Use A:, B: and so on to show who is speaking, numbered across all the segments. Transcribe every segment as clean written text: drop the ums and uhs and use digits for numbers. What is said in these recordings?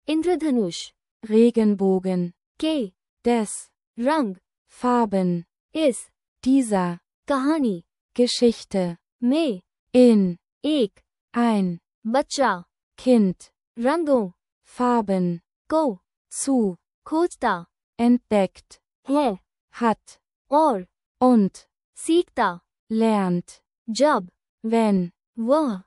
A: इंद्रधनुष,
B: Regenbogen,
A: के,
B: des,
A: रंग,
B: Farben,
A: इस,
B: dieser,
A: कहानी,
B: Geschichte,
A: में,
B: in,
A: एक,
B: ein,
A: बच्चा,
B: Kind,
A: रंगों,
B: Farben,
A: को,
B: zu,
A: खोजता,
B: entdeckt,
A: है,
B: hat,
A: और,
B: und,
A: सीखता,
B: lernt,
A: जब,
B: wenn,
A: वह,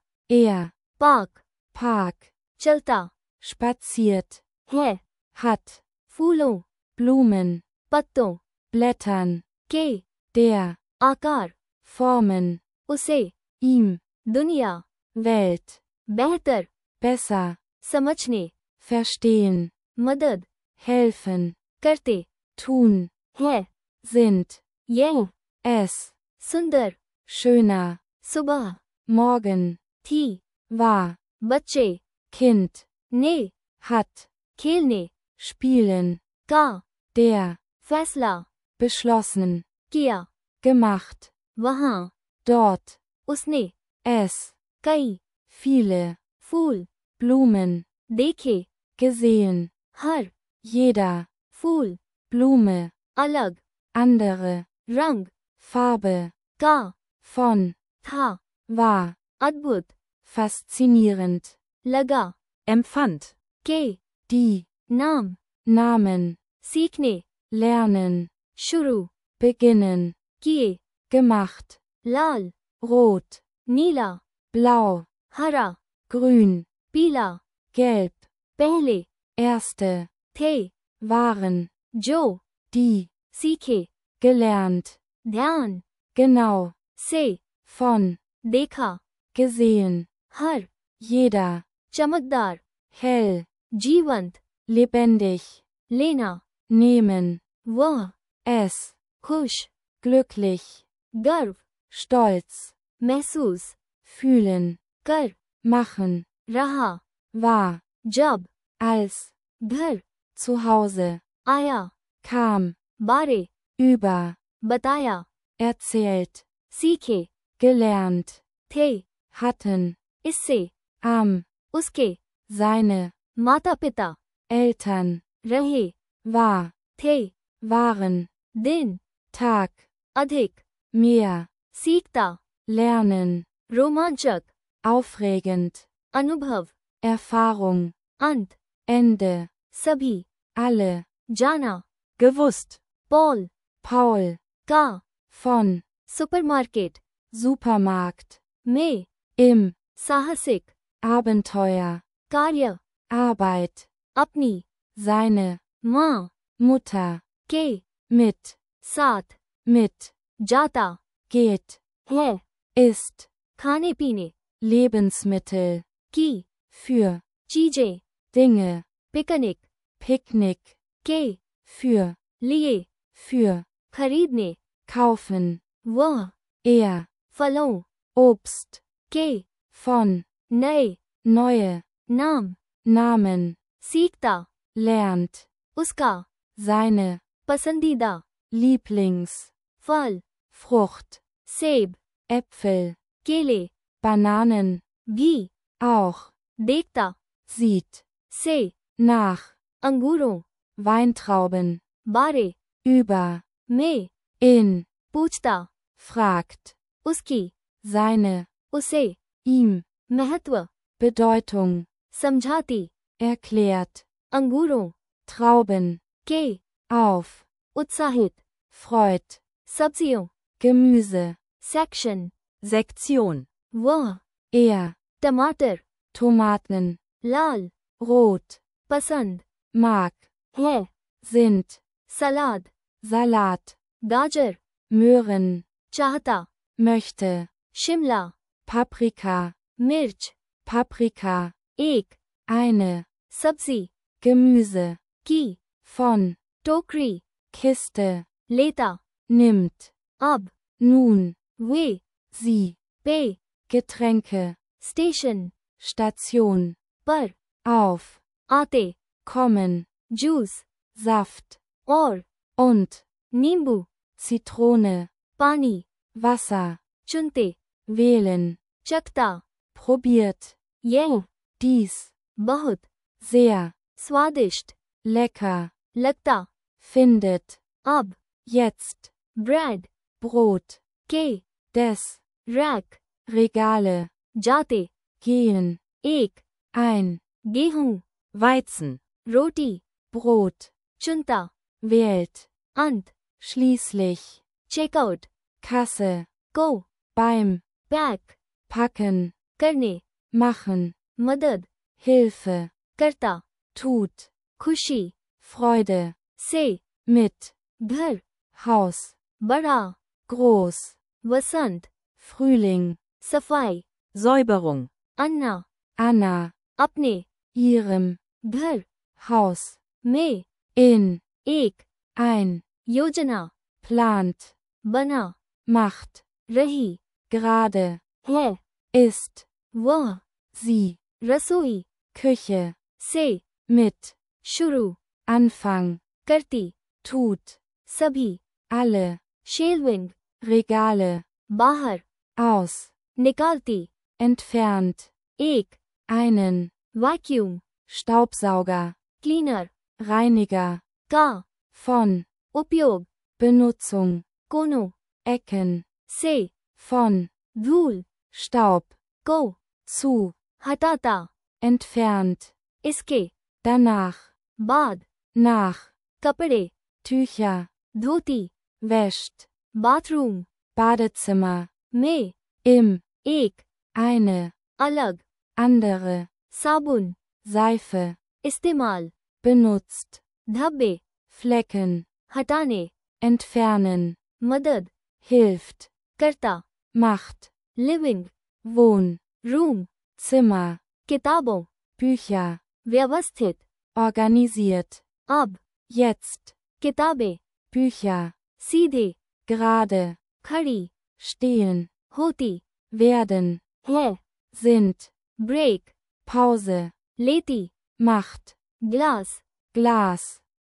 B: Park,
A: चलता,
B: spaziert,
A: है,
B: hat,
A: फूलों,
B: Blumen,
A: पत्तों,
B: Blättern,
A: के,
B: der,
A: आकार,
B: Formen,
A: उसे,
B: ihm,
A: दुनिया,
B: Welt,
A: बेहतर,
B: besser,
A: समझने,
B: verstehen,
A: मदद,
B: helfen,
A: करते,
B: tun,
A: है,
B: sind,
A: यह,
B: es,
A: सुंदर,
B: schöner,
A: सुबह,
B: morgen,
A: थी,
B: war,
A: बच्चे,
B: Kind,
A: ने,
B: hat,
A: खेलने,
B: spielen,
A: का,
B: der,
A: फैसला,
B: beschlossen,
A: किया,
B: gemacht,
A: वहां,
B: dort,
A: उसने,
B: es,
A: कई,
B: viele,
A: फूल,
B: Blumen,
A: देखे,
B: gesehen,
A: हर,
B: jeder,
A: फूल,
B: Blume,
A: अलग,
B: andere,
A: रंग,
B: Farbe,
A: का,
B: von,
A: था,
B: war,
A: अद्भुत,
B: faszinierend,
A: लगा,
B: empfand,
A: के,
B: die,
A: नाम,
B: Namen,
A: सीखने,
B: lernen,
A: शुरू,
B: beginnen,
A: किए,
B: gemacht,
A: लाल,
B: rot,
A: नीला,
B: blau,
A: हरा,
B: grün,
A: पीला,
B: gelb,
A: पहले,
B: erste,
A: थे,
B: waren,
A: जो,
B: die,
A: सीखे,
B: gelernt,
A: ध्यान,
B: genau,
A: से,
B: von,
A: देखा,
B: gesehen,
A: हर,
B: jeder,
A: चमकदार,
B: hell,
A: जीवंत,
B: lebendig,
A: लेना,
B: nehmen,
A: वह,
B: es,
A: खुश,
B: glücklich,
A: गर्व,
B: stolz,
A: महसूस,
B: fühlen,
A: कर,
B: machen,
A: रहा,
B: war,
A: जब,
B: als,
A: घर,
B: zu Hause,
A: आया,
B: kam,
A: बारे,
B: über,
A: बताया,
B: erzählt,
A: सीखे,
B: gelernt,
A: थे,
B: hatten,
A: इससे,
B: am,
A: उसके,
B: seine,
A: माता पिता,
B: Eltern,
A: रहे,
B: war,
A: थे,
B: waren,
A: दिन,
B: Tag,
A: अधिक,
B: mehr,
A: सीखता,
B: lernen,
A: रोमांचक,
B: aufregend,
A: अनुभव,
B: Erfahrung,
A: अंत,
B: Ende,
A: सभी,
B: alle,
A: जाना,
B: gewusst,
A: पॉल,
B: Paul,
A: का,
B: von,
A: सुपरमार्केट,
B: Supermarkt,
A: में,
B: im,
A: साहसिक,
B: Abenteuer,
A: कार्य,
B: Arbeit,
A: अपनी,
B: seine,
A: माँ,
B: Mutter,
A: के,
B: mit,
A: साथ,
B: mit,
A: जाता,
B: geht,
A: है,
B: ist,
A: खाने पीने,
B: Lebensmittel,
A: की,
B: für,
A: चीजें,
B: Dinge,
A: पिकनिक,
B: Picknick,
A: के,
B: für,
A: लिए,
B: für,
A: खरीदने,
B: kaufen,
A: वह,
B: er,
A: फलों,
B: Obst,
A: के,
B: von,
A: नए,
B: neue,
A: नाम,
B: Namen,
A: सीखता,
B: lernt,
A: उसका,
B: seine,
A: पसंदीदा,
B: Lieblings,
A: फल,
B: Frucht,
A: सेब,
B: Äpfel,
A: केले,
B: Bananen,
A: भी,
B: auch,
A: देखता,
B: sieht,
A: से,
B: nach,
A: अंगूरों,
B: Weintrauben,
A: बारे,
B: über,
A: में,
B: in,
A: पूछता,
B: fragt,
A: उसकी,
B: seine,
A: उसे,
B: ihm,
A: महत्व,
B: Bedeutung,
A: समझाती,
B: erklärt,
A: अंगूरों,
B: Trauben,
A: के,
B: auf,
A: उत्साहित,
B: freut,
A: सब्जियों,
B: Gemüse,
A: सेक्शन,
B: Sektion,
A: वह,
B: er,
A: टमाटर,
B: Tomaten,
A: लाल,
B: rot,
A: पसंद,
B: mag,
A: है,
B: sind,
A: सलाद,
B: Salat,
A: गाजर,
B: Möhren,
A: चाहता,
B: möchte,
A: शिमला,
B: Paprika,
A: मिर्च,
B: Paprika,
A: एक,
B: eine,
A: सब्जी,
B: Gemüse,
A: की,
B: von,
A: टोकरी,
B: Kiste,
A: लेता,
B: nimmt,
A: अब,
B: nun,
A: वे,
B: sie,
A: पे,
B: Getränke,
A: स्टेशन,
B: Station,
A: पर,
B: auf,
A: आते,
B: kommen,
A: जूस,
B: Saft,
A: और,
B: und,
A: नींबू,
B: Zitrone,
A: पानी,
B: Wasser,
A: चुनते,
B: wählen,
A: चखता,
B: probiert,
A: यह,
B: dies,
A: बहुत,
B: sehr,
A: स्वादिष्ट,
B: lecker,
A: लगता,
B: findet,
A: अब,
B: jetzt,
A: bread,
B: Brot,
A: के,
B: des,
A: rack,
B: Regale,
A: जाते,
B: gehen,
A: एक,
B: ein,
A: गेहूं,
B: Weizen,
A: रोटी,
B: Brot,
A: चुनता,
B: wählt,
A: अंत,
B: schließlich,
A: चेकआउट,
B: Kasse,
A: को,
B: beim,
A: पैक,
B: packen,
A: करने,
B: machen,
A: मदद,
B: Hilfe,
A: करता,
B: tut,
A: खुशी,
B: Freude,
A: से,
B: mit,
A: घर,
B: Haus,
A: बड़ा,
B: groß,
A: वसंत,
B: Frühling,
A: सफाई,
B: Säuberung,
A: अन्ना,
B: Anna,
A: अपने,
B: ihrem,
A: घर,
B: Haus,
A: में,
B: in,
A: एक,
B: ein,
A: योजना,
B: plant,
A: बना,
B: macht,
A: रही,
B: gerade,
A: है,
B: ist,
A: वह,
B: sie,
A: रसोई,
B: Küche,
A: से,
B: mit,
A: शुरू,
B: Anfang,
A: करती,
B: tut,
A: सभी,
B: alle,
A: शेलविंग,
B: Regale,
A: बाहर,
B: aus,
A: निकालती,
B: entfernt,
A: एक,
B: einen,
A: vacuum,
B: Staubsauger,
A: cleaner,
B: Reiniger,
A: का,
B: von,
A: उपयोग,
B: Benutzung,
A: कोनों,
B: Ecken,
A: से,
B: von,
A: धूल,
B: Staub,
A: को,
B: zu,
A: हटाता,
B: entfernt,
A: इसके,
B: danach,
A: बाद,
B: nach,
A: कपड़े,
B: Tücher,
A: धोती,
B: wäscht,
A: बाथरूम,
B: Badezimmer,
A: में,
B: im,
A: एक,
B: eine,
A: अलग,
B: andere,
A: साबुन,
B: Seife,
A: इस्तेमाल,
B: benutzt,
A: धब्बे,
B: Flecken,
A: हटाने,
B: entfernen,
A: मदद,
B: hilft,
A: करता,
B: macht,
A: living,
B: Wohn,
A: room,
B: Zimmer,
A: किताबों,
B: Bücher,
A: व्यवस्थित,
B: organisiert,
A: अब,
B: jetzt,
A: किताबें,
B: Bücher,
A: सीधे,
B: gerade,
A: खड़ी,
B: stehen,
A: होती,
B: werden,
A: है,
B: sind,
A: ब्रेक,
B: Pause,
A: लेती,
B: macht,
A: ग्लास,
B: Glas,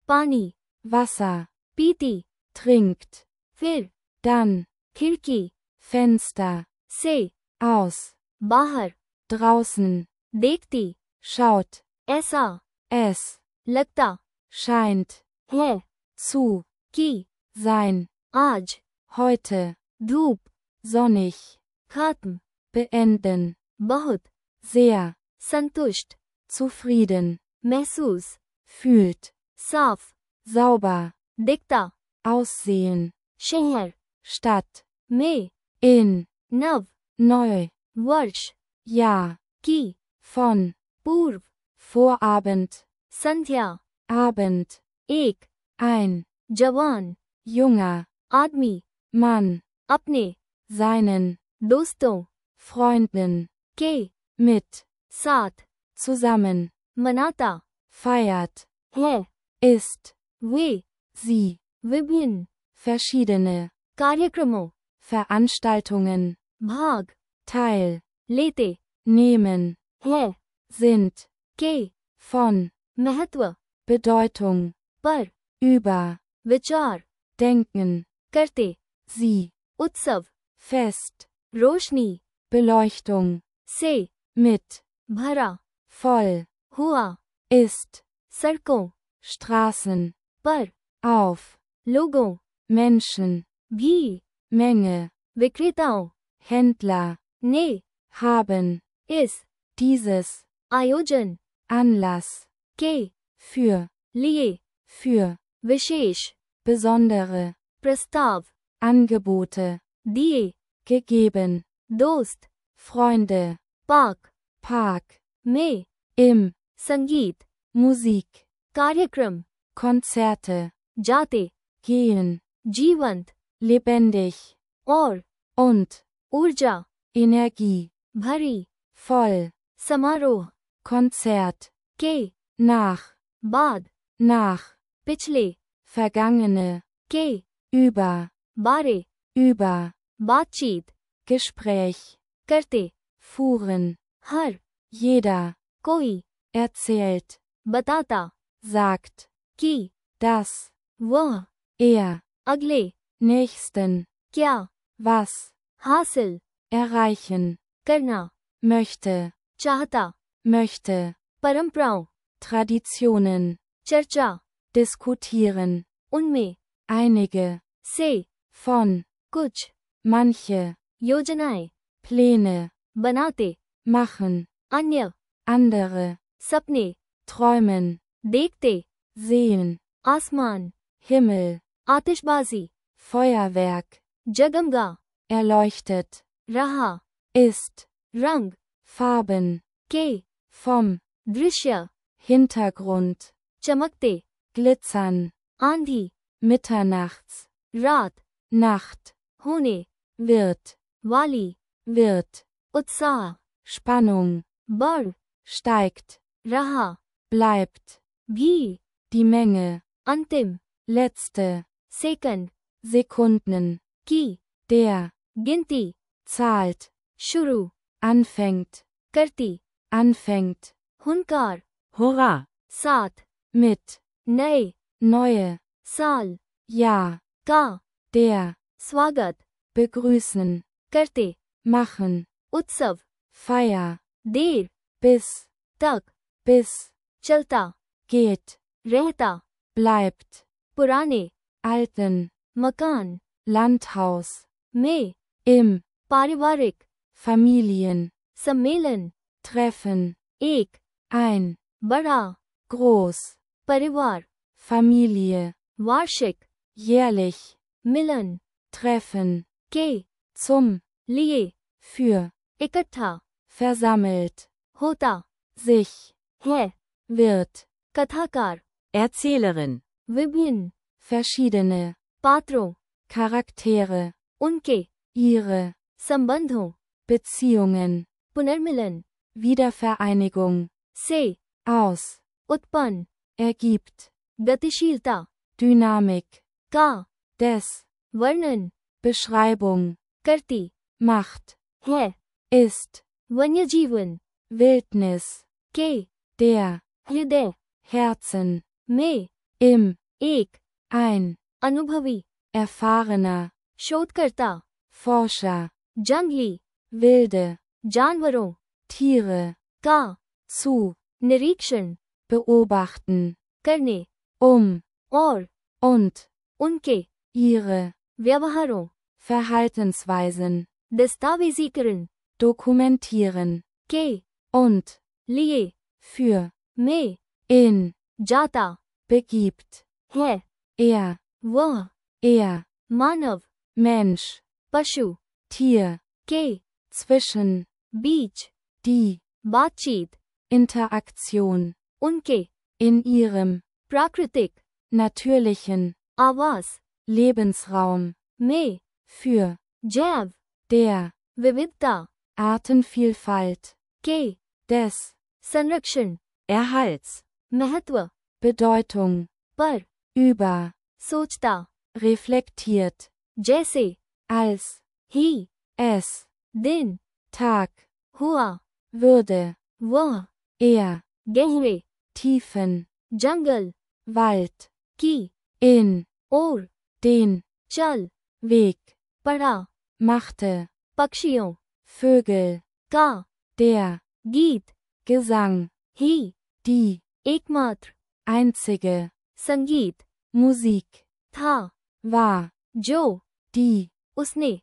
A: पानी,
B: Wasser,
A: पीती,
B: trinkt,
A: फिर,
B: dann,
A: खिड़की,
B: Fenster,
A: से,
B: aus,
A: बाहर,
B: draußen,
A: देखती,
B: schaut,
A: ऐसा,
B: es,
A: लगता,
B: scheint,
A: है,
B: zu,
A: कि,
B: sein,
A: आज,
B: heute,
A: धूप,
B: sonnig,
A: खत्म,
B: beenden,
A: बहुत,
B: sehr,
A: संतुष्ट,
B: zufrieden,
A: महसूस,
B: fühlt,
A: साफ,
B: sauber,
A: दिखता,
B: aussehen,
A: शहर,
B: Stadt,
A: में,
B: in,
A: नव,
B: neu,
A: वर्ष,
B: Jahr,
A: की,
B: von,
A: पूर्व,
B: Vorabend,
A: संध्या,
B: Abend,
A: एक,
B: ein,
A: जवान,
B: junger,
A: आदमी,
B: Mann,
A: अपने,
B: seinen,
A: दोस्तों,
B: Freunden,
A: के,
B: mit,
A: साथ,
B: zusammen,
A: मनाता,
B: feiert,
A: है,
B: ist,
A: वे,
B: sie,
A: विभिन्न,
B: verschiedene,
A: कार्यक्रमों,
B: Veranstaltungen,
A: भाग,
B: Teil,
A: लेते,
B: nehmen,
A: है,
B: sind,
A: के,
B: von,
A: महत्व,
B: Bedeutung,
A: पर,
B: über,
A: विचार,
B: denken,
A: करते,
B: sie,
A: उत्सव,
B: fest,
A: रोशनी,
B: Beleuchtung,
A: से,
B: mit,
A: भरा,
B: voll,
A: हुआ,
B: ist,
A: सड़कों,
B: Straßen,
A: पर,
B: auf,
A: लोगों,
B: Menschen,
A: भी,
B: Menge,
A: विक्रेताओं,
B: Händler,
A: ने,
B: haben,
A: इस,
B: dieses,
A: आयोजन,
B: Anlass,
A: के,
B: für,
A: लिए,
B: für,
A: विशेष,
B: besondere,
A: प्रस्ताव,
B: Angebote,
A: दिए,
B: gegeben,
A: दोस्त,
B: Freunde,
A: पाक,
B: Park,
A: में,
B: im,
A: संगीत,
B: Musik,
A: कार्यक्रम,
B: Konzerte,
A: जाते,
B: gehen,
A: जीवंत,
B: lebendig,
A: और,
B: und,
A: ऊर्जा,
B: Energie,
A: भरी,
B: voll,
A: समारोह,
B: Konzert,
A: के,
B: nach,
A: बाद,
B: nach,
A: पिछले,
B: vergangene,
A: के,
B: über,
A: बारे,
B: über,
A: बातचीत,
B: Gespräch,
A: करते,
B: fuhren,
A: हर,
B: jeder,
A: कोई,
B: erzählt,
A: बताता,
B: sagt,
A: कि,
B: das,
A: वह,
B: er,
A: अगले,
B: nächsten,
A: क्या,
B: was,
A: हासिल,
B: erreichen,
A: करना,
B: möchte,
A: चाहता,
B: möchte,
A: परंपराओं,
B: Traditionen,
A: चर्चा,
B: diskutieren,
A: उनमें,
B: einige,
A: से,
B: von,
A: कुछ,
B: manche,
A: योजनाएं,
B: Pläne,
A: बनाते,
B: machen,
A: अन्य,
B: andere,
A: सपने,
B: träumen,
A: देखते,
B: sehen,
A: आसमान,
B: Himmel,
A: आतिशबाजी,
B: Feuerwerk,
A: जगमगा,
B: erleuchtet,
A: रहा,
B: ist,
A: रंग,
B: Farben,
A: के,
B: vom,
A: दृश्य,
B: Hintergrund,
A: चमकते,
B: glitzern,
A: आंधी,
B: mitternachts,
A: रात,
B: Nacht,
A: होने,
B: wird,
A: वाली,
B: wird,
A: उत्साह,
B: Spannung,
A: बढ़,
B: steigt,
A: रहा,
B: bleibt,
A: भी,
B: die Menge,
A: अंतिम,
B: letzte,
A: सेकंड,
B: Sekunden,
A: की,
B: der,
A: गिनती,
B: zahlt,
A: शुरू,
B: anfängt,
A: करती,
B: anfängt,
A: हुनकार,
C: Hurra!
A: साथ,
B: mit,
A: नए,
B: neue,
A: साल,
B: ja,
A: का,
B: der,
A: स्वागत,
B: begrüßen,
A: करते,
B: machen,
A: उत्सव,
B: Feier,
A: देर,
B: bis,
A: तक,
B: bis,
A: चलता,
B: geht,
A: रहता,
B: bleibt,
A: पुराने,
B: alten,
A: मकान,
B: Landhaus,
A: में,
B: im,
A: पारिवारिक,
B: Familien,
A: सम्मेलन,
B: treffen,
A: एक,
B: ein,
A: बड़ा,
B: groß,
A: परिवार,
B: Familie,
A: वार्षिक,
B: jährlich,
A: मिलन,
B: treffen,
A: के,
B: zum,
A: लिए,
B: für,
A: इकट्ठा,
B: versammelt,
A: होता,
B: sich,
A: है,
B: wird,
A: कथाकार,
C: Erzählerin.
A: विभिन्न,
B: verschiedene,
A: पात्रों,
B: Charaktere,
A: उनके,
B: ihre,
A: संबंधों,
B: Beziehungen,
A: पुनर्मिलन,
B: Wiedervereinigung,
A: से,
B: aus,
A: उत्पन्न,
B: ergibt,
A: गतिशीलता,
B: Dynamik,
A: का,
B: des,
A: वर्णन,
B: Beschreibung,
A: करती,
B: macht,
A: है,
B: ist,
A: वन्यजीवन,
B: Wildnis,
A: के,
B: der,
A: हृदय,
B: Herzen,
A: में,
B: im,
A: एक,
B: ein,
A: अनुभवी,
B: erfahrener,
A: शोधकर्ता,
B: Forscher,
A: जंगली,
B: wilde,
A: जानवरों,
B: Tiere,
A: का,
B: zu,
A: निरीक्षण,
B: beobachten,
A: करने, और,
B: und,
A: उनके,
B: ihre,
A: व्यवहारों,
B: Verhaltensweisen,
A: दस्तावेजीकरण,
B: dokumentieren,
A: के,
B: und,
A: लिए,
B: für,
A: में,
B: in,
A: जाता,
B: begibt,
A: है, वह, मानव,
B: Mensch,
A: पशु,
B: Tier,
A: के,
B: zwischen,
A: बीच,
B: die,
A: बातचीत,
B: Interaktion,
A: उनके,
B: in ihrem,
A: प्राकृतिक,
B: natürlichen,
A: आवास,
B: Lebensraum,
A: में,
B: für,
A: जैव,
B: der,
A: विविधता,
B: Artenvielfalt,
A: के,
B: des,
A: संरक्षण,
C: Erhalts.
A: महत्व,
B: Bedeutung,
A: पर,
B: über,
A: सोचता,
B: reflektiert,
A: जैसे,
B: als,
A: ही,
B: es,
A: दिन,
B: Tag,
A: हुआ,
B: würde,
A: वह, गहरे,
B: tiefen,
A: जंगल,
B: Wald,
A: की,
B: in,
A: और,
B: den,
A: चल,
B: Weg,
A: पढ़ा,
B: machte,
A: पक्षियों,
B: Vögel,
A: का,
B: der,
A: गीत,
B: Gesang,
A: ही,
B: die,
A: एकमात्र,
B: einzige,
A: संगीत,
B: Musik,
A: था,
B: war,
A: जो,
B: die,
A: उसने,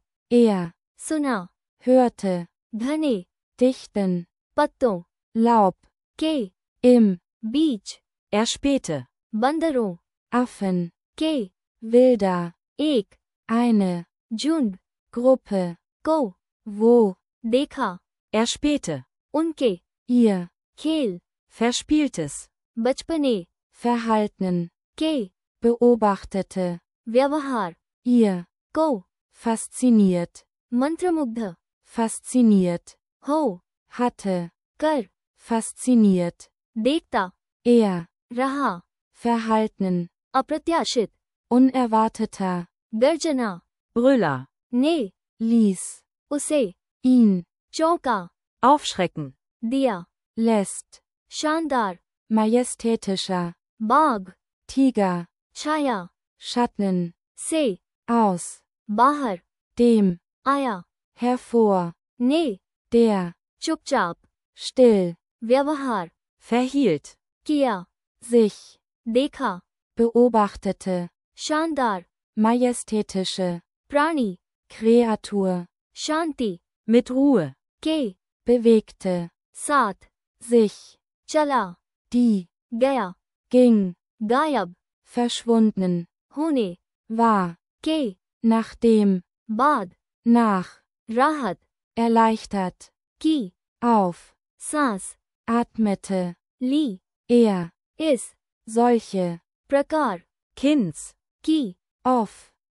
A: सुना,
B: hörte,
A: घने,
B: dichten,
A: पत्तों,
B: Laub,
A: के,
B: im,
A: बीच,
C: Erspähte.
A: बंदरों,
B: Affen,
A: के,
B: wilder,
A: एक,
B: eine,
A: झुंड,
B: Gruppe,
A: को,
B: wo,
A: देखा,
C: Erspähte.
A: उनके,
B: ihr,
A: खेल,
C: Verspieltes.
A: बचपने,
B: verhalten,
A: के,
B: beobachtete,
A: व्यवहार,
B: ihr,
A: को,
B: fasziniert,
A: मंत्रमुग्ध,
B: fasziniert,
A: हो,
B: hatte,
A: कर,
B: fasziniert,
A: देखता, रहा,
B: verhalten,
A: अप्रत्याशित,
B: unerwarteter,
A: गर्जना,
C: Brüller.
A: ने,
B: ließ,
A: उसे,
B: ihn,
A: चौंका,
C: Aufschrecken.
A: दिया,
B: lässt,
A: शानदार,
B: majestätischer,
A: बाघ,
B: Tiger,
A: छाया,
B: Schatten,
A: से,
B: aus,
A: बाहर,
B: dem,
A: आया,
B: hervor,
A: ने,
B: der,
A: चुपचाप,
B: still,
A: व्यवहार,
C: Verhielt.
A: किया,
B: sich,
A: देखा,
B: beobachtete,
A: शानदार,
B: majestätische,
A: प्राणी,
B: Kreatur,
A: शांति,
C: Mit Ruhe.
A: के,
B: bewegte,
A: साथ,
B: sich,
A: चला,
B: die,
A: गया,
B: ging,
A: गायब,
B: verschwunden,
A: होने,
B: war,
A: के,
B: nachdem,
A: बाद,
B: nach,
A: राहत,
B: erleichtert,
A: की,
B: auf,
A: सांस,
B: atmete,
A: ली,
B: er,
A: इस,
B: solche,
A: प्रकार,
C: Kinds.
A: की,
B: off,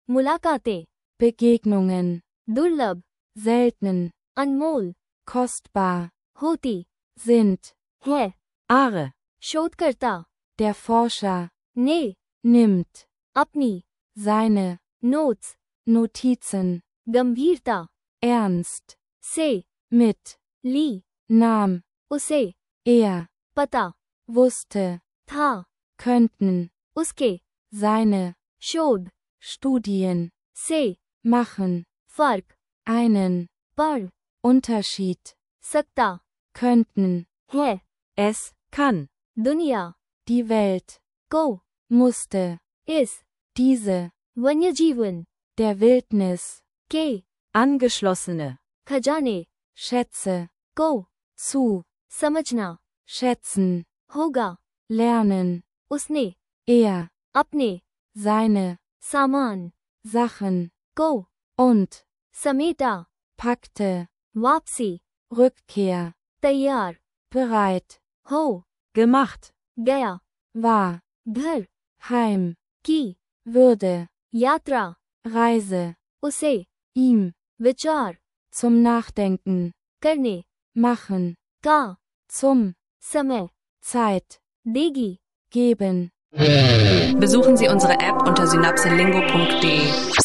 A: मुलाकातें,
B: Begegnungen,
A: दुर्लभ,
B: selten,
A: अनमोल,
B: kostbar,
A: होती,
B: sind,
A: है,
C: Are.
A: शोधकर्ता,
B: der Forscher,
A: ने,
B: nimmt,
A: अपनी,
B: seine,
A: नोट्स,
B: Notizen,
A: गंभीरता,
B: ernst,
A: से,
B: mit,
A: ली,
B: nahm,
A: उसे,
B: er,
A: पता,
B: wusste,
A: था,
B: könnten,
A: उसके,
B: seine,
A: शोध,
B: Studien,
A: से,
B: machen,
A: फर्क,
B: einen,
A: पढ़,
B: Unterschied,
A: सकता,
B: könnten,
A: है,
C: Es kann.
A: दुनिया,
B: die Welt,
A: को,
B: musste,
A: इस,
B: diese,
A: वन्य जीवन,
B: der Wildnis,
A: के,
C: Angeschlossene.
A: खजाने,
B: Schätze,
A: को,
B: zu,
A: समझना,
B: schätzen,
A: होगा,
B: lernen,
A: उसने,
B: er,
A: अपने,
B: seine,
A: सामान,
B: Sachen,
A: को,
B: und,
A: समेटा,
B: packte,
A: वापसी,
B: Rückkehr,
A: तैयार,
B: bereit,
A: हो,
C: Gemacht.
A: गया,
B: war,
A: घर,
B: heim,
A: की,
B: würde,
A: यात्रा,
B: Reise,
A: उसे,
B: ihm,
A: विचार,
B: zum Nachdenken,
A: करने,
B: machen,
A: का,
B: zum,
A: समय,
B: Zeit,
A: देगी.
B: geben.
D: Besuchen Sie unsere App unter synapselingo.de.